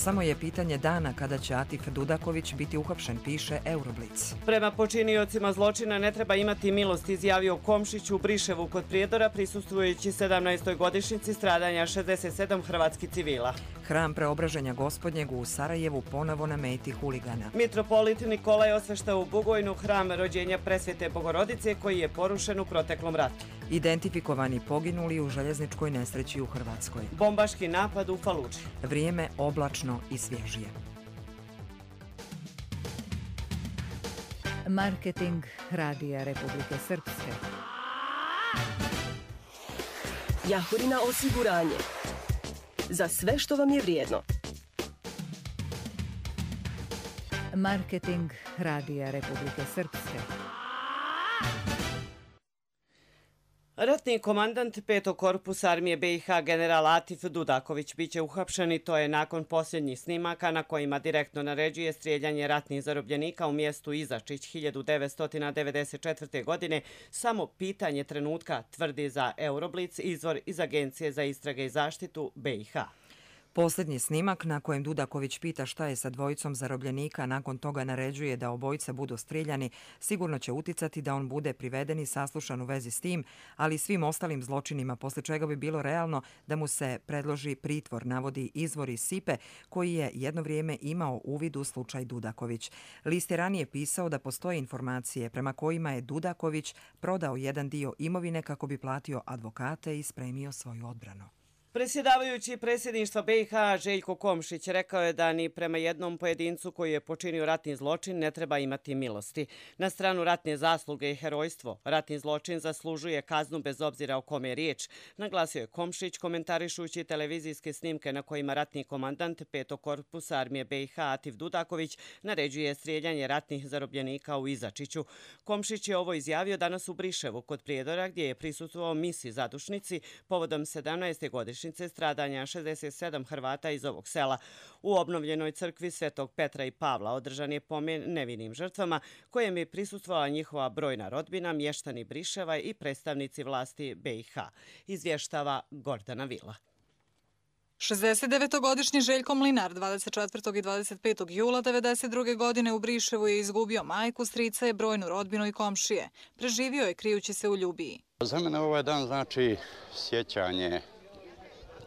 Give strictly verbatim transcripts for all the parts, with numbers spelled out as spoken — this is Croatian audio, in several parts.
Samo je pitanje dana kada će Atif Dudaković biti uhapšen, piše Euroblic. Prema počiniocima zločina ne treba imati milost, izjavio Komšić u Briševu kod Prijedora, prisustvujući sedamnaestoj godišnjici stradanja šezdeset sedam hrvatskih civila. Hram Preobraženja Gospodnjeg u Sarajevu ponovo na meti huligana. Mitropolit Nikolaj osveštao u Bugojnu hram rođenja Presvete Bogorodice koji je porušen u proteklom ratu. Identifikovani poginuli u željezničkoj nesreći u Hrvatskoj. Bombaški napad u Faludži. Vrijeme oblačno i svježije. Marketing Radija Republike Srpske. Jahorina osiguranje. Za sve što vam je vrijedno. Marketing Radija Republike Srpske. Ratni komandant petog korpusa armije B i H general Atif Dudaković biće uhapšen i to je nakon posljednjih snimaka na kojima direktno naređuje strijeljanje ratnih zarobljenika u mjestu Izačić hiljadu devetsto devedeset četvrte. godine. Samo pitanje trenutka, tvrdi za Euroblic izvor iz Agencije za istrage i zaštitu B i H. Posljednji snimak na kojem Dudaković pita šta je sa dvojicom zarobljenika, nakon toga naređuje da obojica budu strijeljani, sigurno će uticati da on bude priveden i saslušan u vezi s tim, ali i svim ostalim zločinima, poslije čega bi bilo realno da mu se predloži pritvor, navodi izvor iz Sipe, koji je jedno vrijeme imao uvid u slučaj Dudaković. List je ranije pisao da postoje informacije prema kojima je Dudaković prodao jedan dio imovine kako bi platio advokate i spremio svoju odbranu. Predsjedavajući predsjedništva B i H Željko Komšić rekao je da ni prema jednom pojedincu koji je počinio ratni zločin ne treba imati milosti. Na stranu ratne zasluge i herojstvo, ratni zločin zaslužuje kaznu bez obzira o kome je riječ, naglasio je Komšić komentarišući televizijske snimke na kojima ratni komandant petog korpusa armije B i H Atif Dudaković naređuje strijeljanje ratnih zarobljenika u Izačiću. Komšić je ovo izjavio danas u Briševu kod Prijedora gdje je prisustvovao misi zadušnici povodom sedamnaeste godišnjice stradanja šezdeset sedam Hrvata iz ovog sela. U obnovljenoj crkvi Svetog Petra i Pavla održan je pomen nevinim žrtvama kojem je prisustvovala njihova brojna rodbina, mještani Briševa i predstavnici vlasti B i H. Izvještava Gordana Vila. šezdesetdevetogodišnji Željko Mlinar dvadeset četvrtog i dvadeset petog jula devedeset druge. godine u Briševu je izgubio majku, strica je, brojnu rodbinu i komšije. Preživio je krijući se u Ljubiji. Za mene ovaj dan znači sjećanje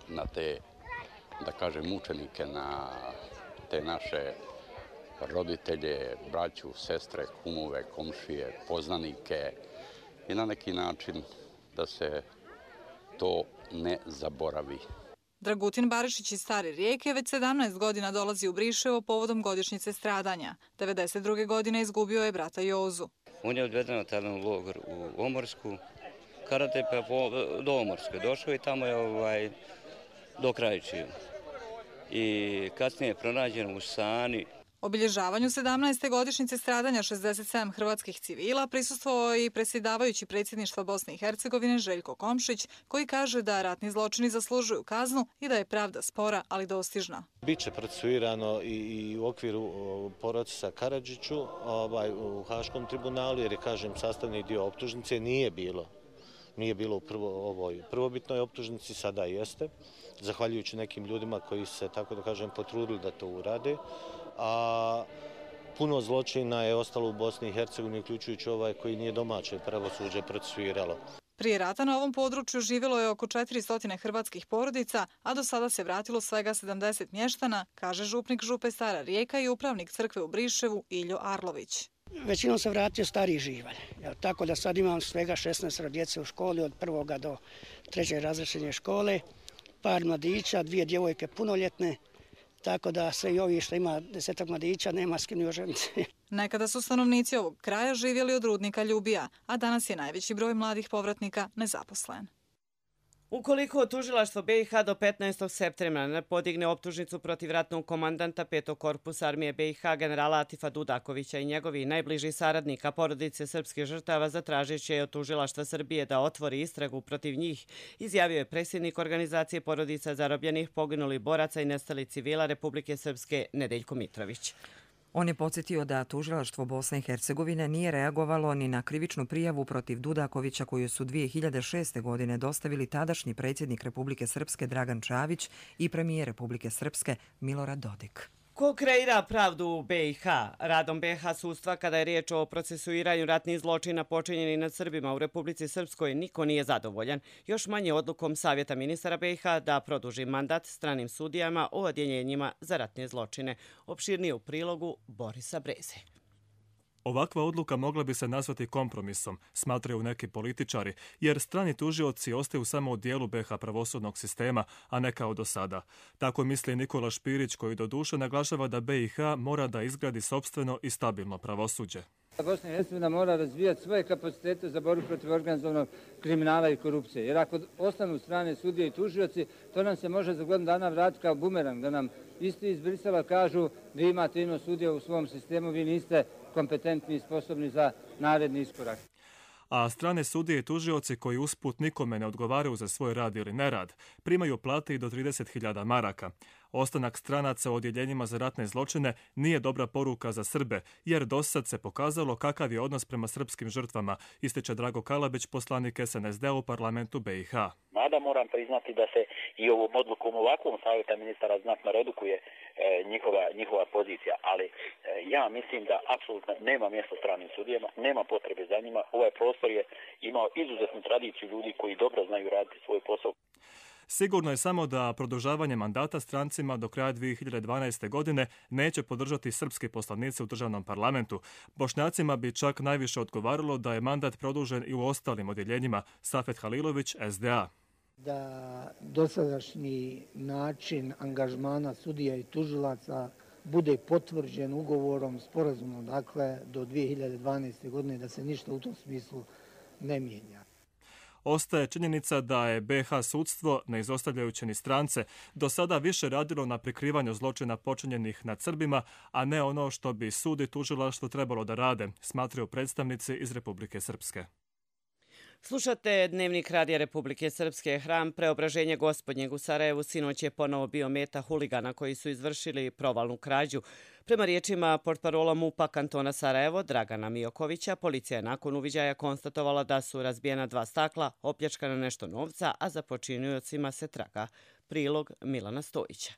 na te, da kažem, mučenike, na te naše roditelje, braću, sestre, kumove, komšije, poznanike i na neki način da se to ne zaboravi. Dragutin Barišić iz Stare Rijeke već sedamnaest godina dolazi u Briševo povodom godišnjice stradanja. devedeset druge. godine izgubio je brata Jozu. On je odveden tada u logor u Omorsku, karate pa do Omorske došao i tamo je ovaj, do Krajičiju. I kasnije je pronađen u Sani. Obilježavanju sedamnaeste godišnjice stradanja šezdeset sedam hrvatskih civila prisustvovao je i predsjedavajući predsjedništva Bosne i Hercegovine Željko Komšić, koji kaže da ratni zločini zaslužuju kaznu i da je pravda spora, ali dostižna. Biće procesuirano i u okviru procesa Karadžiću ovaj, u Haškom tribunalu, jer je, kažem, sastavni dio optužnice nije bilo. Nije bilo u prvo, ovoj prvobitnoj optužnici, sada jeste, zahvaljujući nekim ljudima koji se, tako da kažem, potrudili da to urade. A puno zločina je ostalo u Bosni i Hercegovini, uključujući ovaj koji nije domaće pravosuđe procesuiralo. Prije rata na ovom području živjelo je oko četiristo hrvatskih porodica, a do sada se vratilo svega sedamdeset mještana, kaže župnik župe Stara Rijeka i upravnik crkve u Briševu Iljo Arlović. Većinom se vratio stariji živalj, tako da sad imam svega šesnaest djece u školi od prvoga do trećeg razrešenja škole, par mladića, dvije djevojke punoljetne, tako da sve i ovi što ima desetak mladića nema s kim ni oženiti. Nekada su stanovnici ovog kraja živjeli od rudnika Ljubija, a danas je najveći broj mladih povratnika nezaposlen. Ukoliko tužilaštvo B i H do petnaestog septembra ne podigne optužnicu protiv ratnog komandanta petog korpusa armije B i H generala Atifa Dudakovića i njegovih najbližih saradnika porodice srpskih žrtava, zatražit će od tužilaštva Srbije da otvori istragu protiv njih, izjavio je predsjednik organizacije porodica zarobljenih, poginulih boraca i nestalih civila Republike Srpske Nedeljko Mitrović. On je podsjetio da tužilaštvo Bosne i Hercegovine nije reagovalo ni na krivičnu prijavu protiv Dudakovića koju su dvije hiljade šeste. godine dostavili tadašnji predsjednik Republike Srpske Dragan Čavić i premijer Republike Srpske Milorad Dodik. Ko kreira pravdu u be i ha? Radom be ha sudstva kada je riječ o procesuiranju ratnih zločina počinjenih nad Srbima u Republici Srpskoj niko nije zadovoljan. Još manje odlukom Savjeta ministara be i ha da produži mandat stranim sudijama o odjeljenjima za ratne zločine. Opširnije u prilogu Borisa Breze. Ovakva odluka mogla bi se nazvati kompromisom, smatraju neki političari, jer strani tužioci ostaju samo u dijelu be ha pravosudnog sistema, a ne kao do sada. Tako misli Nikola Špirić, koji doduše naglašava da be i ha mora da izgradi sopstveno i stabilno pravosuđe. Bosna i Hercegovina mora razvijati svoje kapacitete za borbu protiv organizovanog kriminala i korupcije. Jer ako ostanu strane sudije i tužioci, to nam se može za godinu dana vratiti kao bumerang, da nam isti iz Brisela kažu vi imate ino sudije u svom sistemu, vi niste kompetentni i sposobni za naredni iskorak. A strane sudije i tužioci koji usput nikome ne odgovaraju za svoj rad ili nerad, primaju plate i do trideset hiljada maraka. Ostanak stranaca u odjeljenjima za ratne zločine nije dobra poruka za Srbe, jer dosad se pokazalo kakav je odnos prema srpskim žrtvama, ističe Drago Kalabić, poslanik es en es de u parlamentu be i ha. Mada moram priznati da se i ovom odlukom ovakvom savjeta ministara znatno redukuje e, njihova, njihova pozicija, ali e, ja mislim da apsolutno nema mjesta stranim sudijama, nema potrebe za njima. Ovaj prostor je imao izuzetnu tradiciju ljudi koji dobro znaju raditi svoj posao. Sigurno je samo da produžavanje mandata strancima do kraja dvije hiljade dvanaeste. godine neće podržati srpski poslanici u državnom parlamentu. Bošnjacima bi čak najviše odgovaralo da je mandat produžen i u ostalim odjeljenjima. Safet Halilović, es de a. Da dosadašnji način angažmana sudija i tužilaca bude potvrđen ugovorom, sporazumom, dakle, do dvije hiljade dvanaeste. godine, da se ništa u tom smislu ne mijenja. Ostaje činjenica da je be ha sudstvo, ne izostavljajući ni strance, do sada više radilo na prikrivanju zločina počinjenih nad Srbima, a ne ono što bi sud i tužilaštvo trebalo da rade, smatraju predstavnici iz Republike Srpske. Slušate Dnevnik Radija Republike Srpske. Hram Preobraženja Gospodnjeg u Sarajevu sinoć je ponovo bio meta huligana koji su izvršili provalnu krađu. Prema riječima portparola MUP-a kantona Sarajevo, Dragana Mijokovića, policija je nakon uviđaja konstatovala da su razbijena dva stakla, opljačkana nešto novca, a za počiniocima se traga. Prilog Milana Stojića.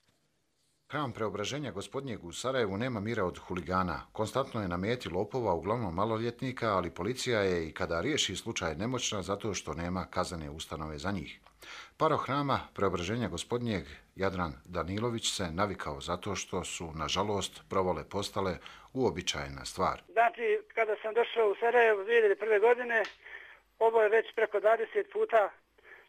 Hram Preobraženja Gospodnjeg u Sarajevu nema mira od huligana. Konstantno je na meti lopova, uglavnom maloljetnika, ali policija je i kada riješi slučaj nemoćna zato što nema kaznene ustanove za njih. Paroh Hrama Preobraženja Gospodnjeg, Jadran Danilović, se navikao zato što su, nažalost, provale postale uobičajena stvar. Znači, kada sam došao u Sarajevo dvije hiljade prve. godine, ovo je već preko dvadeset puta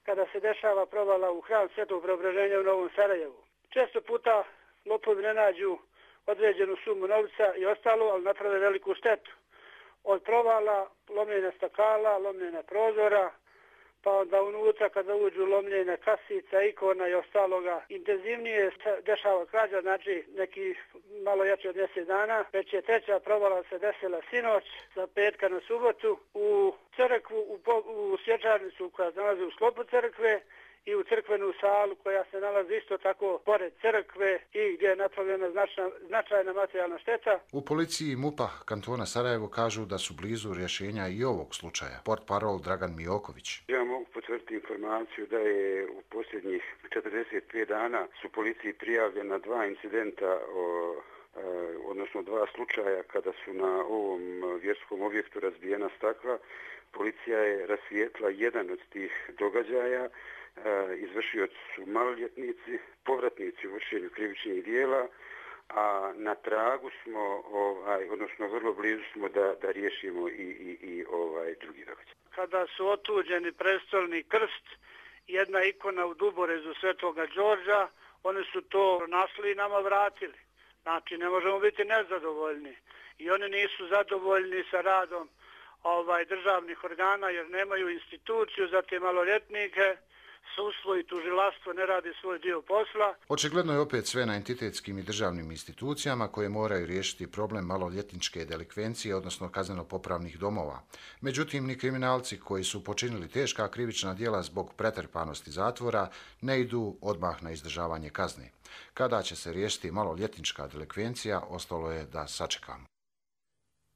kada se dešava provala u Hram Svetog Preobraženja u Novom Sarajevu. Često puta lopovi ne nađu određenu sumu novca i ostalo, ali naprave veliku štetu. Od provala, lomljenja stakala, lomljenja prozora, pa onda unutra kada uđu lomljenja kasica, ikona i ostaloga. Intenzivnije se dešava krađa, znači neki malo jače od mjesec dana. Već je treća provala se desila sinoć, za petka na subotu, u crkvu, u, u svječarnicu koja se nalazi u sklopu crkve, i u crkvenu salu koja se nalazi isto tako pored crkve i gdje je napravljena značna, značajna materijalna šteta. U policiji MUP-a kantona Sarajevo kažu da su blizu rješenja i ovog slučaja. Portparol Dragan Mijoković. Ja mogu potvrditi informaciju da je u posljednjih četrdeset pet dana su policiji prijavljena dva incidenta o odnosno dva slučaja kada su na ovom vjerskom objektu razbijena stakla. Policija je rasvijetla jedan od tih događaja. Izvršioci su maloljetnici, povratnici u vršenju krivičnih dijela, a na tragu smo, ovaj, odnosno vrlo blizu smo da, da riješimo i, i, i ovaj drugi događaj. Kada su otuđeni prestolni krst, jedna ikona u Duborezu Svetoga Đorđa, oni su to našli i nama vratili. Znači, ne možemo biti nezadovoljni. I oni nisu zadovoljni sa radom ovaj, državnih organa jer nemaju instituciju za te maloljetnike. sudstvo i tužilaštvo ne radi svoj dio posla. Očigledno je opet sve na entitetskim i državnim institucijama koje moraju riješiti problem maloljetničke delikvencije, odnosno kazneno-popravnih domova. Međutim, ni kriminalci koji su počinili teška krivična djela zbog pretrpanosti zatvora ne idu odmah na izdržavanje kazne. Kada će se riješiti maloljetnička delikvencija, ostalo je da sačekamo.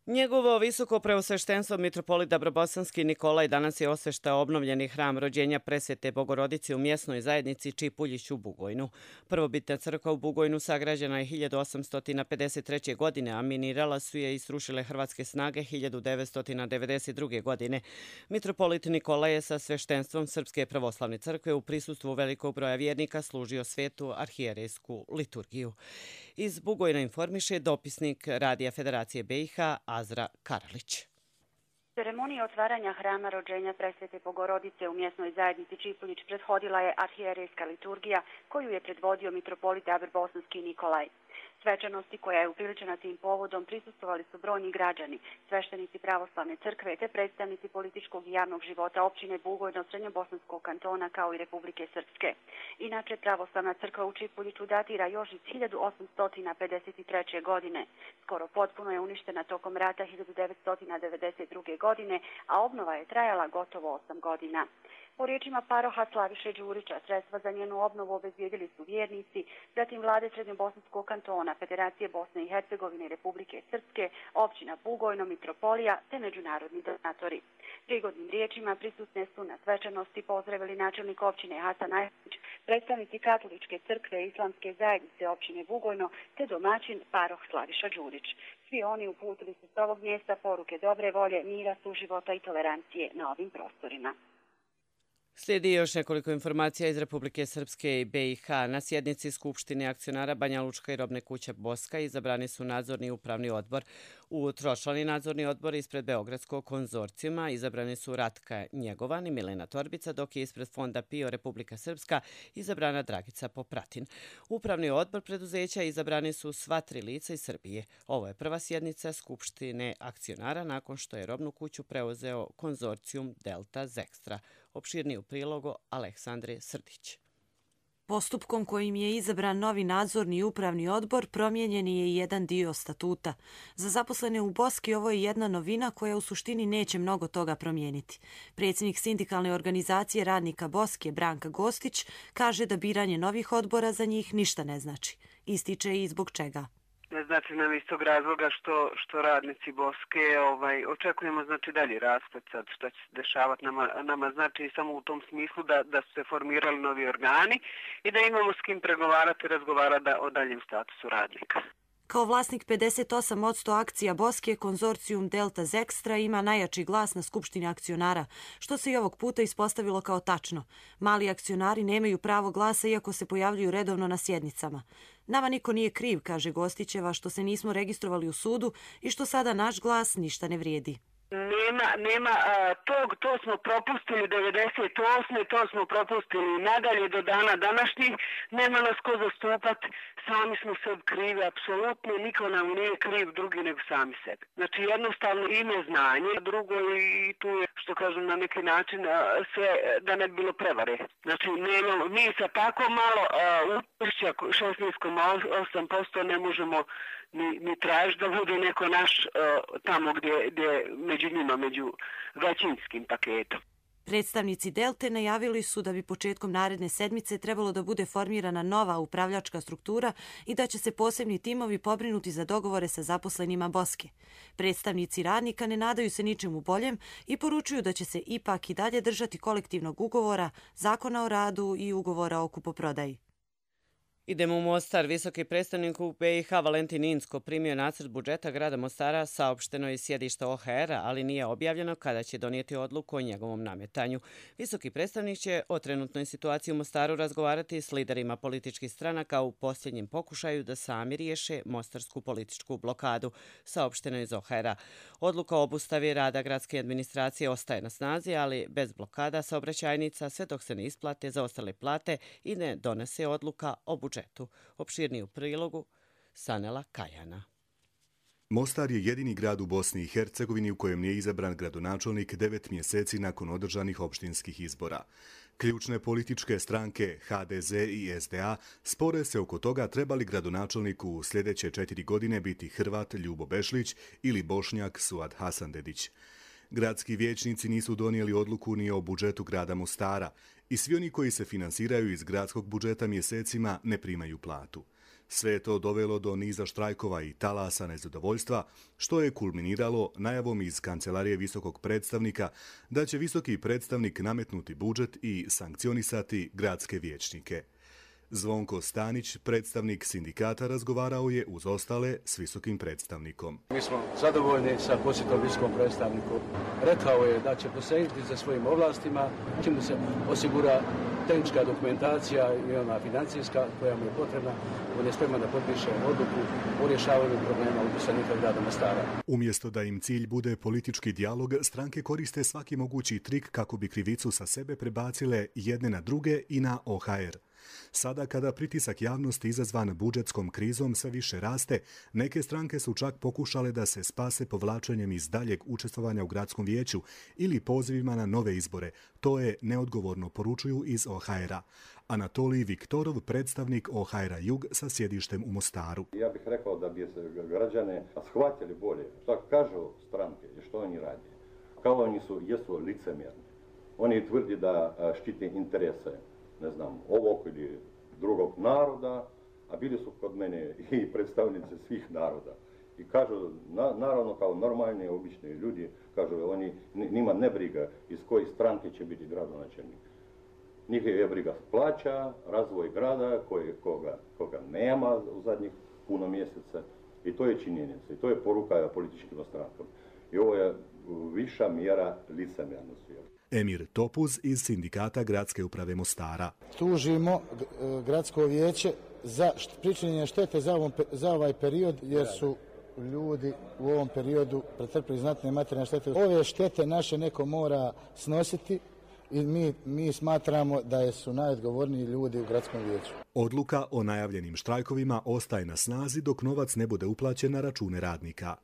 Njegovo visoko preosveštenstvo mitropolit Dabrobosanski Nikolaj danas je osveštao obnovljeni hram rođenja Presvete Bogorodice u mjesnoj zajednici Čipuljić u Bugojnu. Prvobitna crkva u Bugojnu sagrađena je hiljadu osamsto pedeset treće. godine, a minirala su je i srušile hrvatske snage hiljadu devetsto devedeset druge. godine. Mitropolit Nikolaj je sa sveštenstvom Srpske pravoslavne crkve u prisustvu velikog broja vjernika služio svetu arhijerejsku liturgiju. Iz Bugojna informiše dopisnik Radija Federacije B i H Azra Karalić. Ceremonija otvaranja hrama rođenja Presvete Bogorodice u mjesnoj zajednici Čipuljić prethodila je arhijerejska liturgija koju je predvodio mitropolit Dabrobosanski Nikolaj. Svečanosti koja je upriličena tim povodom prisustvovali su brojni građani, sveštenici pravoslavne crkve te predstavnici političkog i javnog života općine Bugojno, Srednjobosanskog kantona kao i Republike Srpske. Inače, pravoslavna crkva u Čipuljiću datira još iz hiljadu osamsto pedeset treće. godine. Skoro potpuno je uništena tokom rata hiljadu devetsto devedeset druge. godine, a obnova je trajala gotovo osam godina. Po riječima paroha Slaviše Đurića, sredstva za njenu obnovu obezbijedili su vjernici, zatim vlade Srednjobosanskog kantona, Federacije Bosne i Hercegovine i Republike Srpske, općina Bugojno, mitropolija te međunarodni donatori. Prigodnim riječima prisutne su na svečanosti pozdravili načelnik općine Hasan Ajšić, predstavnici Katoličke crkve i Islamske zajednice općine Bugojno te domaćin paroh Slaviša Đurić. Svi oni uputili su s ovog mjesta poruke dobre volje, mira, suživota i tolerancije na ovim prostorima. Slijedi još nekoliko informacija iz Republike Srpske i B i H. Na sjednici Skupštine akcionara Banja Lučka i Robne kuće Boska izabrani su nadzorni i upravni odbor. U tročlani nadzorni odbor ispred Beogradskog konzorcijuma izabrani su Ratka Njegovan i Milena Torbica, dok je ispred Fonda PIO Republika Srpska izabrana Dragica Popratin. Upravni odbor preduzeća izabrani su sva tri lica iz Srbije. Ovo je prva sjednica Skupštine akcionara nakon što je Robnu kuću preuzeo konzorcijum Delta Zekstra. Opširniji u prilogu Aleksandre Srdić. Postupkom kojim je izabran novi nadzorni i upravni odbor promijenjen je i jedan dio statuta. Za zaposlene u Boski ovo je jedna novina koja u suštini neće mnogo toga promijeniti. Predsjednik sindikalne organizacije radnika Boske Branka Gostić kaže da biranje novih odbora za njih ništa ne znači. Ističe i zbog čega. Ne znači nam iz tog razloga što, što radnici Boske ovaj, očekujemo znači dalji rasplet sad što će se dešavati nama, nama znači samo u tom smislu da, da su se formirali novi organi i da imamo s kim pregovarati i razgovarati o daljem statusu radnika. Kao vlasnik pedeset osam posto akcija Boske, konzorcijum Delta Zekstra ima najjači glas na Skupštini akcionara, što se i ovog puta ispostavilo kao tačno. Mali akcionari nemaju pravo glasa iako se pojavljuju redovno na sjednicama. Nama niko nije kriv, kaže Gostićeva, što se nismo registrovali u sudu i što sada naš glas ništa ne vrijedi. Nema, nema, a, tog, to smo propustili devedeset osme to smo propustili nadalje do dana današnjih, nema nas ko zastupati, sami smo sebi krivi, apsolutno, niko nam nije kriv drugi nego sami sebi. Znači jednostavno i neznanje, drugo i tu je, što kažem, na neki način sve da ne bi bilo prevare. Znači nemamo, mi sa tako malo učešća šesnaest zarez osam posto ne možemo ni, ni tražiti da bude neko naš uh, tamo gdje, gdje među njima, među većinskim paketom. Predstavnici Delte najavili su da bi početkom naredne sedmice trebalo da bude formirana nova upravljačka struktura i da će se posebni timovi pobrinuti za dogovore sa zaposlenima Boske. Predstavnici radnika ne nadaju se ničemu boljem i poručuju da će se ipak i dalje držati kolektivnog ugovora, zakona o radu i ugovora o kupoprodaji. Idemo u Mostar. Visoki predstavnik u B i H Valentin Inzko primio nacrt budžeta grada Mostara, saopšteno iz sjedišta O H R-a, ali nije objavljeno kada će donijeti odluku o njegovom nametanju. Visoki predstavnik će o trenutnoj situaciji u Mostaru razgovarati s liderima političkih stranaka u posljednjem pokušaju da sami riješe mostarsku političku blokadu, saopšteno iz O H R-a. Odluka o obustavi rada gradske administracije ostaje na snazi, ali bez blokada saobraćajnica sve dok se ne isplate zaostale plate i ne donese odluka o budžetu. Opširniji u prilogu Sanela Kajana. Mostar je jedini grad u Bosni i Hercegovini u kojem nije izabran gradonačelnik devet mjeseci nakon održanih opštinskih izbora. Ključne političke stranke H D Z i S D A spore se oko toga treba li gradonačelniku u sljedeće četiri godine biti Hrvat Ljubo Bešlić ili Bošnjak Suad Hasandedić. Gradski vijećnici nisu donijeli odluku ni o budžetu grada Mostara i svi oni koji se finansiraju iz gradskog budžeta mjesecima ne primaju platu. Sve je to dovelo do niza štrajkova i talasa nezadovoljstva, što je kulminiralo najavom iz Kancelarije visokog predstavnika da će visoki predstavnik nametnuti budžet i sankcionisati gradske vijećnike. Zvonko Stanić, predstavnik sindikata, razgovarao je uz ostale s visokim predstavnikom. Mi smo zadovoljni sa posjetom visokom predstavniku. Rekao je da će posegnuti za svojim ovlastima, čim se osigura tehnička dokumentacija i ona financijska koja mu je potrebna. On je spreman da potpiše odluku o rješavanju problema upisanika grada Mostara. Umjesto da im cilj bude politički dijalog, stranke koriste svaki mogući trik kako bi krivicu sa sebe prebacile jedne na druge i na O H R. Sada kada pritisak javnosti izazvan budžetskom krizom sve više raste, neke stranke su čak pokušale da se spase povlačenjem iz daljeg učestvovanja u gradskom vijeću ili pozivima na nove izbore. To je neodgovorno, poručuju iz O H R-a. Anatolij Viktorov, predstavnik O H R-a Jug sa sjedištem u Mostaru. Ja bih rekao da bi se građane shvatili bolje što kažu stranke i što oni radi. Kao oni su, jesu licemjerni. Oni tvrdi da štite interese, ne znam, ovog ili drugog naroda, a bili su kod mene i predstavnici svih naroda. I kažu, na, naravno kao normalni, obični ljudi, kažu, oni, njima ne briga iz koje stranke će biti gradonačelnik. Njih je briga plaća, razvoj grada, koje, koga, koga nema u zadnjih puno mjeseca. I to je činjenica, i to je poruka političkim strankama. I ovo je viša mjera licemjernosti. Emir Topuz iz sindikata Gradske uprave Mostara. Tužimo gradsko vijeće za pričinjenje štete za, ovom, za ovaj period, jer su ljudi u ovom periodu pretrpili znatne materijalne štete. Ove štete naše neko mora snositi i mi, mi smatramo da su najodgovorniji ljudi u gradskom vijeću. Odluka o najavljenim štrajkovima ostaje na snazi dok novac ne bude uplaćen na račune radnika.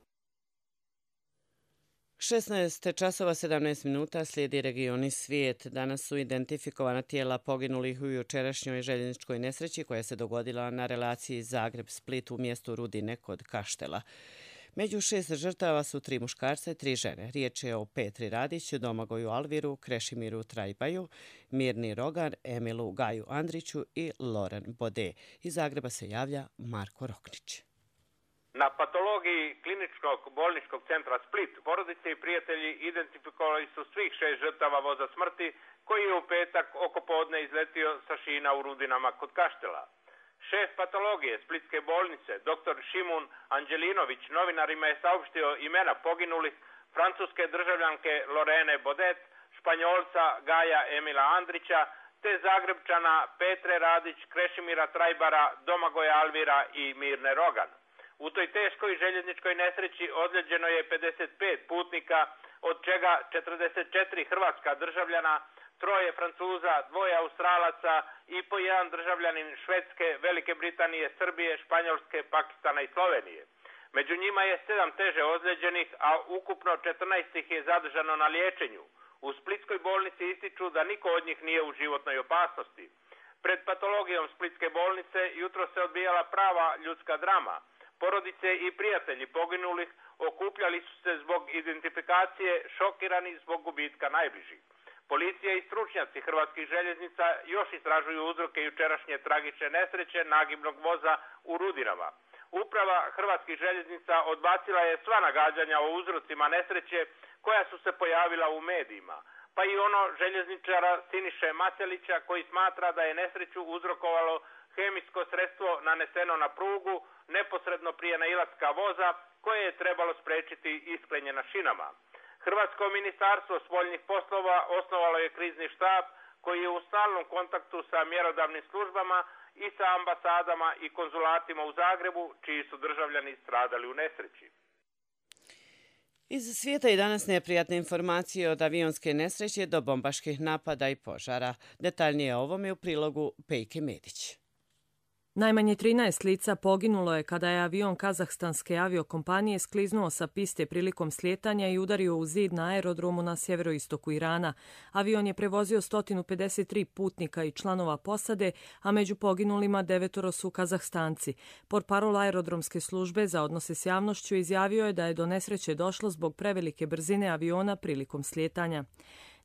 šesnaest časova sedamnaest minuta slijedi regioni svijet. Danas su identifikovana tijela poginulih u jučerašnjoj željezničkoj nesreći koja se dogodila na relaciji Zagreb-Split u mjestu Rudine kod Kaštela. Među šest žrtava su tri muškarca i tri žene. Riječ je o Petri Radiću, Domagoju Alviru, Krešimiru Trajbaju, Mirni Rogan, Emilu Gaju Andriću i Loren Bode. Iz Zagreba se javlja Marko Roknić. Na patologiji kliničkog bolničkog centra Split porodice i prijatelji identifikovali su svih šest žrtava voza smrti koji je u petak oko podne izletio sa šina u Rudinama kod Kaštela. Šef patologije Splitske bolnice, dr. Šimun Anđelinović, novinarima je saopštio imena poginulih francuske državljanke Lorene Bodet, španjolca Gaja Emila Andrića, te Zagrebčana Petre Radić, Krešimira Trajbara, Domagoja Alvira i Mirne Rogan. U toj teškoj željezničkoj nesreći ozlijeđeno je pedeset pet putnika, od čega četrdeset četiri hrvatska državljana, troje Francuza, dvoje Australaca i po jedan državljanin Švedske, Velike Britanije, Srbije, Španjolske, Pakistana i Slovenije. Među njima je sedam teže ozlijeđenih, a ukupno četrnaest ih je zadržano na liječenju. U Splitskoj bolnici ističu da niko od njih nije u životnoj opasnosti. Pred patologijom Splitske bolnice jutro se odbijala prava ljudska drama. Porodice i prijatelji poginulih okupljali su se zbog identifikacije, šokirani zbog gubitka najbližih. Policija i stručnjaci hrvatskih željeznica još istražuju uzroke jučerašnje tragične nesreće nagibnog voza u Rudinama. Uprava hrvatskih željeznica odbacila je sva nagađanja o uzrocima nesreće koja su se pojavila u medijima, pa i ono željezničara Siniše Macelića koji smatra da je nesreću uzrokovalo hemijsko sredstvo naneseno na prugu neposredno prije nailaska voza koje je trebalo spriječiti iskrenje na šinama. Hrvatsko ministarstvo spoljnih poslova osnovalo je krizni štab koji je u stalnom kontaktu sa mjerodavnim službama i sa ambasadama i konzulatima u Zagrebu čiji su državljani stradali u nesreći. Iz svijeta i danas neprijatne informacije od avionske nesreće do bombaških napada i požara. Detaljnije o ovome u prilogu Pejke Medić. Najmanje trinaest lica poginulo je kada je avion kazahstanske aviokompanije skliznuo sa piste prilikom slijetanja i udario u zid na aerodromu na sjeveroistoku Irana. Avion je prevozio sto pedeset tri putnika i članova posade, a među poginulima devetoro su Kazahstanci. Portparol aerodromske službe za odnose s javnošću izjavio je da je do nesreće došlo zbog prevelike brzine aviona prilikom slijetanja.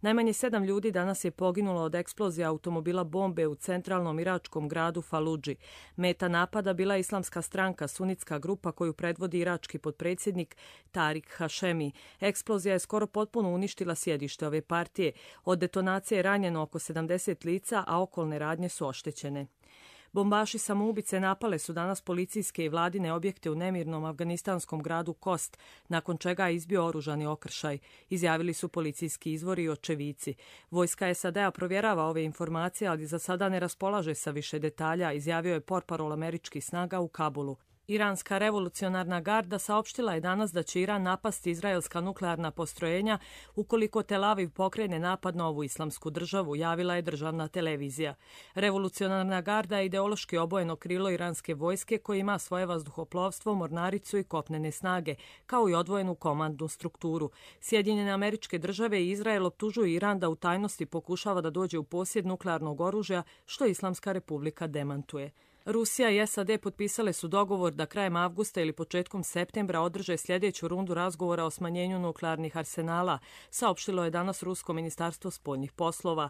Najmanje sedam ljudi danas je poginulo od eksplozije automobila bombe u centralnom iračkom gradu Faludži. Meta napada bila je islamska stranka, sunitska grupa koju predvodi irački potpredsjednik Tarik Hašemi. Eksplozija je skoro potpuno uništila sjedište ove partije. Od detonacije je ranjeno oko sedamdeset lica, a okolne radnje su oštećene. Bombaši samoubice napale su danas policijske i vladine objekte u nemirnom afganistanskom gradu Kost, nakon čega je izbio oružani okršaj, izjavili su policijski izvori i očevici. Vojska S A D-a provjerava ove informacije, ali za sada ne raspolaže sa više detalja, izjavio je portparol američkih snaga u Kabulu. Iranska revolucionarna garda saopštila je danas da će Iran napasti izraelska nuklearna postrojenja ukoliko Tel Aviv pokrene napad na ovu islamsku državu, javila je državna televizija. Revolucionarna garda je ideološki obojeno krilo iranske vojske koje ima svoje vazduhoplovstvo, mornaricu i kopnene snage, kao i odvojenu komandnu strukturu. Sjedinjene Američke Države i Izrael optužuju Iran da u tajnosti pokušava da dođe u posjed nuklearnog oružja, što Islamska republika demantuje. Rusija i S A D potpisale su dogovor da krajem avgusta ili početkom septembra održe sljedeću rundu razgovora o smanjenju nuklearnih arsenala, saopštilo je danas Rusko ministarstvo spoljnih poslova.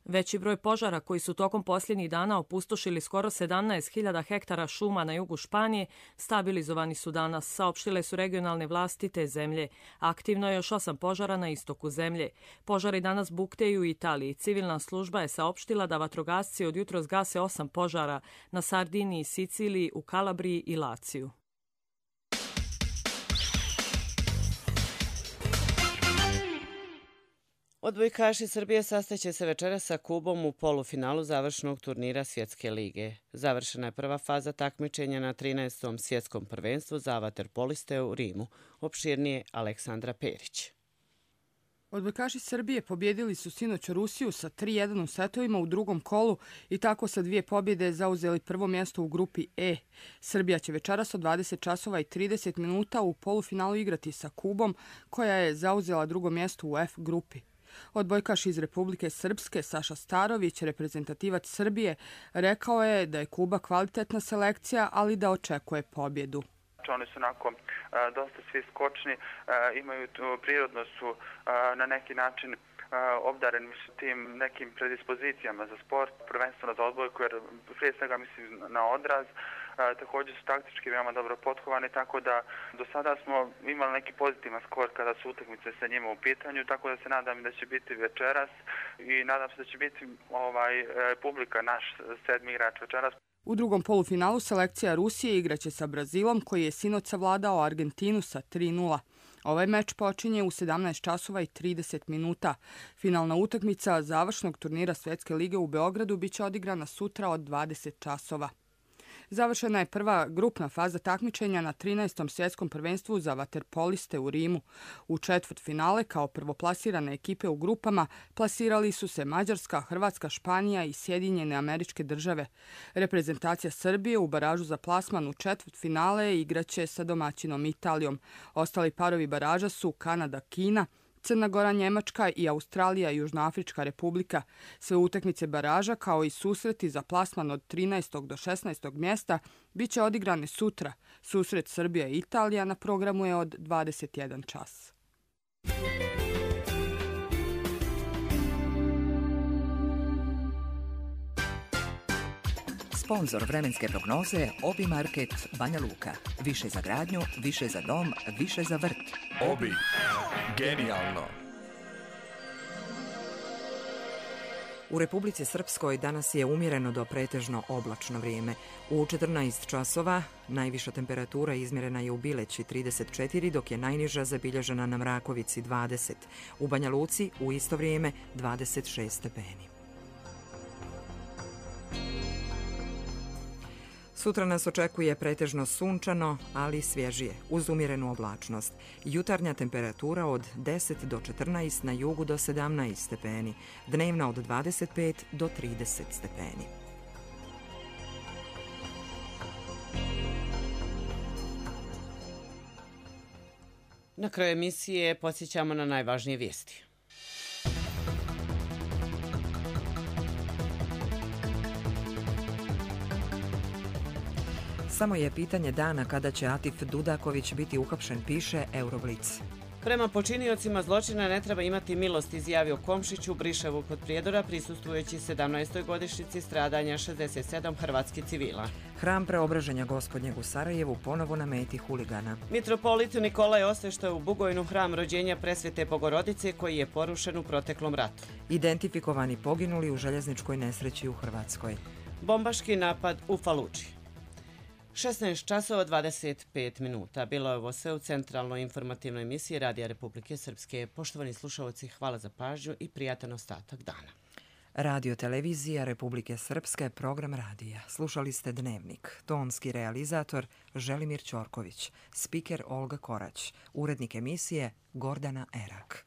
Veći broj požara koji su tokom posljednjih dana opustošili skoro sedamnaest hiljada hektara šuma na jugu Španije stabilizovani su danas, saopštile su regionalne vlasti te zemlje. Aktivno je još osam požara na istoku zemlje. Požari danas bukteju u Italiji. Civilna služba je saopštila da vatrogasci od jutros gase osam požara na Sardiniji, Siciliji, u Kalabriji i Laciju. Odbojkaši Srbije sastaće se večeras sa Kubom u polufinalu završnog turnira Svjetske lige. Završena je prva faza takmičenja na trinaestom svjetskom prvenstvu za vaterpoliste u Rimu. Opširnije Aleksandra Perić. Odbojkaši Srbije pobjedili su sinoć Rusiju sa tri jedan u setovima u drugom kolu i tako sa dvije pobjede zauzeli prvo mjesto u grupi E. Srbija će večeras od dvadeset časova i trideset minuta u polufinalu igrati sa Kubom, koja je zauzela drugo mjesto u F grupi. Odbojkaš iz Republike Srpske Saša Starović, reprezentativac Srbije, rekao je da je Kuba kvalitetna selekcija, ali da očekuje pobjedu. Oni su onako dosta svi skočni, imaju prirodno su na neki način obdareni su tim nekim predispozicijama za sport, prvenstveno za odbojku, jer prije svega mislim na odraz. Također su taktički veoma dobro potkovani, tako da do sada smo imali neki pozitivan skor kada su utakmice sa njima u pitanju, tako da se nadam da će biti večeras i nadam se da će biti ovaj, publika naš sedmi igrač večeras. U drugom polufinalu selekcija Rusije igraće sa Brazilom, koji je sinoć savladao Argentinu sa tri nula. Ovaj meč počinje u sedamnaest časova i trideset minuta. Finalna utakmica završnog turnira Svjetske lige u Beogradu biće odigrana sutra od dvadeset časova. Završena je prva grupna faza takmičenja na trinaestom svjetskom prvenstvu za vaterpoliste u Rimu. U četvrtfinale kao prvoplasirane ekipe u grupama plasirali su se Mađarska, Hrvatska, Španija i Sjedinjene Američke Države. Reprezentacija Srbije u baražu za plasman u četvrtfinale igraće sa domaćinom Italijom. Ostali parovi baraža su Kanada, Kina, Crna Gora, Njemačka i Australija i Južnoafrička republika. Sve utakmice baraža, kao i susreti za plasman od trinaestog do šesnaestog mjesta, bit će odigrane sutra. Susret Srbija i Italija na programu je od dvadeset jedan čas. Sponzor vremenske prognoze Obi Market Banja Luka. Više za gradnju, više za dom, više za vrt. Obi. Genijalno. U Republici Srpskoj danas je umjereno do pretežno oblačno vrijeme. U četrnaest časova najviša temperatura izmjerena je u Bileći trideset četiri, dok je najniža zabilježena na Mrakovici dvadeset. U Banja Luci u isto vrijeme dvadeset šest stepeni. Sutra nas očekuje pretežno sunčano, ali svježije, uz umjerenu oblačnost. Jutarnja temperatura od deset do četrnaest, na jugu do sedamnaest stepeni, dnevna od dvadeset pet do trideset stepeni. Na kraju emisije podsjećamo na najvažnije vijesti. Samo je pitanje dana kada će Atif Dudaković biti uhapšen, piše Euroblic. Prema počiniocima zločina ne treba imati milost, izjavio Komšić u Briševu kod Prijedora, prisustvujući sedamnaestoj godišnjici stradanja šezdeset sedam hrvatskih civila. Hram Preobraženja Gospodnjeg u Sarajevu ponovo na meti huligana. Mitropolit Nikolaj osveštao je u Bugojnu hram rođenja Presvete Bogorodice koji je porušen u proteklom ratu. Identifikovani poginuli u željezničkoj nesreći u Hrvatskoj. Bombaški napad u Faluči. šesnaest časova dvadeset pet minuta. Bilo je ovo sve u centralnoj informativnoj emisiji Radija Republike Srpske. Poštovani slušalci, hvala za pažnju i prijatan ostatak dana. Radio Televizija Republike Srpske, program radija. Slušali ste Dnevnik. Tonski realizator Želimir Ćorković. Spiker Olga Korać. Urednik emisije Gordana Erak.